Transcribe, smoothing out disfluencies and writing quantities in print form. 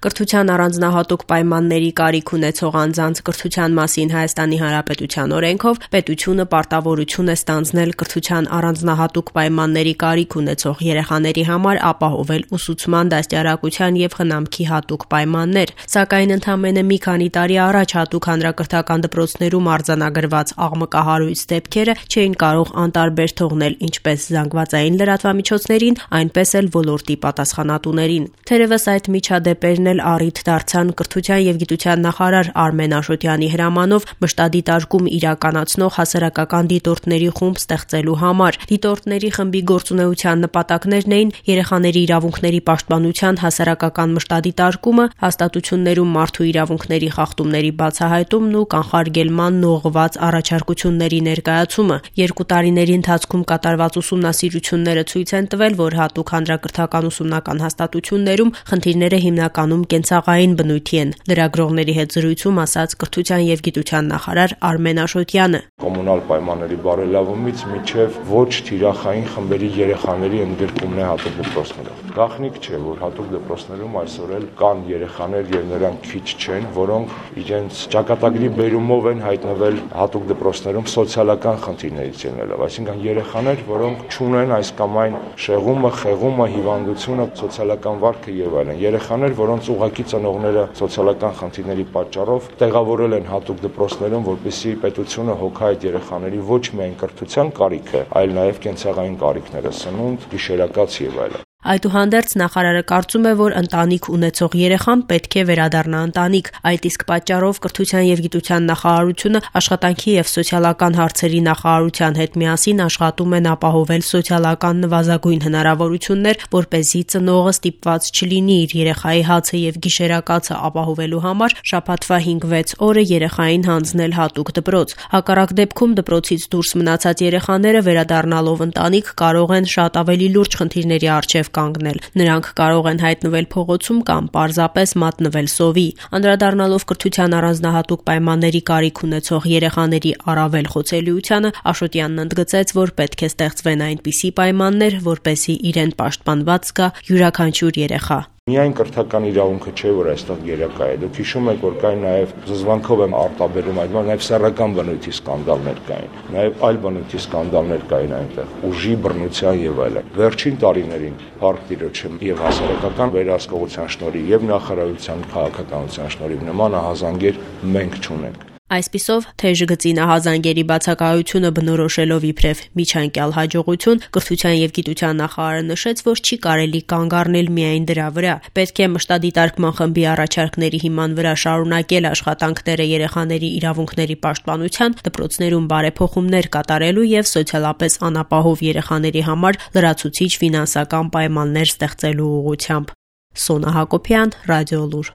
Կրթության առանձնահատուկ պայմանների կարիք ունեցող անձանց կրթության մասին Հայաստանի Հանրապետության օրենքով պետությունը պարտավորություն է ստանձնել կրթության առանձնահատուկ պայմանների կարիք ունեցող երեխաների համար ապահովել ուսուցման, դաստիարակության և խնամքի հատուկ պայմաններ, սակայն ընդամենը մի քանի տարի առաջ հատուկ հանրակրթական դպրոցներում արձանագրված աղմկահարույց դեպքերը չէին կարող անտարբեր թողնել ինչպես զանգվածային լրատվամիջոցներին, այնպես էլ ոլորտի պատասխանատուներին։ Թերևս այդ միջադեպերն առիթ դարձան կրթության և գիտության նախարար Արմեն Աշոտյանի հրամանով մշտադիտարկում իրականացնող հասարակական դիտորդների խումբ ստեղծելու համար։ Դիտորդների խմբի գործունեության նպատակներն էին երեխաների իրավունքների պաշտպանության հասարակական մշտադիտարկումը, հաստատություններում մարդու իրավունքների խախտումների բացահայտումն ու կանխարգելմանն ուղղված առաջարկությունների ներկայացումը։ 2 տարիների ընթացքում կատարված ուսումնասիրությունները ցույց են տվել, որ հատուկ հանրակրթական ուսումնական հաստատություններում խնդիրները հիմնականում կենցաղային բնույթի են։ Լրագրողների հետ զրույցում ասաց կրթության և գիտության նախարար Արմեն Աշոտյանը։ Կոմունալ պայմանների բարելավումից մինչև ոչ թիրախային խմբերի երեխաների ընդգրկումն է հատուկ դպրոցներում։ Գաղտնիք չէ, որ հատուկ դպրոցներում այսօր էլ կան երեխաներ եւ նրանք քիչ չեն, որոնք իրենց ճակատագրի բերումով են հայտնվել հատուկ դպրոցներում սոցիալական խնդիրներից ելնելով, այսինքն երեխաներ, որոնք չունեն այս կամ այն շեղումը, խեղումը, հիվանդությունը, սոցիալական վարքը եւ այլն։ Երեխաներ, որոնց ուղղակի ծնողները սոցիալական խնդիրների պատճառով տեղավորել են հատուկ դպրոցներում, որպեսզի պետությունը հոգա այդ երեխաների ոչ միայն կրթության կարիքը, այլ նաև կենցաղային կարիքները՝ սնունդ, գիշերակաց եւ այլն։ Այդուհանդերձ նախարարը կարծում է, որ ընտանիք ունեցող երեխան պետք է վերադառնա ընտանիք։ Այդ իսկ պատճառով կրթության և գիտության նախարարությունը աշխատանքի և սոցիալական հարցերի նախարարության հետ միասին աշխատում են ապահովել սոցիալական նվազագույն հնարավորություններ, որպեսզի ծնողը ստիպված չլինի իր երեխայի հացը և գիշերակացը ապահովելու համար շաբաթվա 5-6 օրը երեխային հանձնել հատուկ դպրոց։ Հակառակ դեպքում դպրոցից դուրս մնացած երեխաները վերադառնալով ընտանիք կարող են շատ ավելի լուրջ խնդիրների առջև կանգնել։ Նրանք կարող են հայտնվել փողոցում կամ պարզապես մատնվել սովի։ Անդրադառնալով կրթության առանձնահատուկ պայմանների կարիք ունեցող երեխաների առավել խոցելիությանը, Աշոտյանն ընդգծեց, որ պետք է ստեղծվեն այնպիսի պայմաններ, որպեսզի իրեն պաշտպանված զգա յուրաքանչյուր երեխա։ Միայն կրթական իրավունքը չէ, որ այստեղ գերակա է։ Դուք հիշում եք, որ կային նաև զզվանքով եմ արտաբերում այդ բանը, նաև սեռական բնույթի սկանդալներ կային, նաև այլ բնույթի սկանդալներ կային այնտեղ, ուժի, բռնության եւ այլն։ Վերջին տարիներին Փառք Տիրոջը եւ հասարակական վերահսկողության շնորհիվ եւ նախարարության քաղաքականության շնորհիվ նման ահազանգեր մենք չունենք։ Այսպիսով, թեժ գծի նահազանգերի բացակայությունը բնորոշելով իբրև միջանկյալ հաջողություն, կրթության և գիտության նախարարը նշեց, որ չի կարելի կանգ առնել միայն դրա վրա։ Պետք է մշտադիտարկման խմբի առաջարկների հիման վրա շարունակել աշխատանքները երեխաների իրավունքների պաշտպանության, դպրոցներում բարեփոխումներ կատարելու և սոցիալապես անապահով երեխաների համար լրացուցիչ ֆինանսական պայմաններ ստեղծելու ուղղությամբ։ Սոնա Հակոբյան, Ռադիոլուր։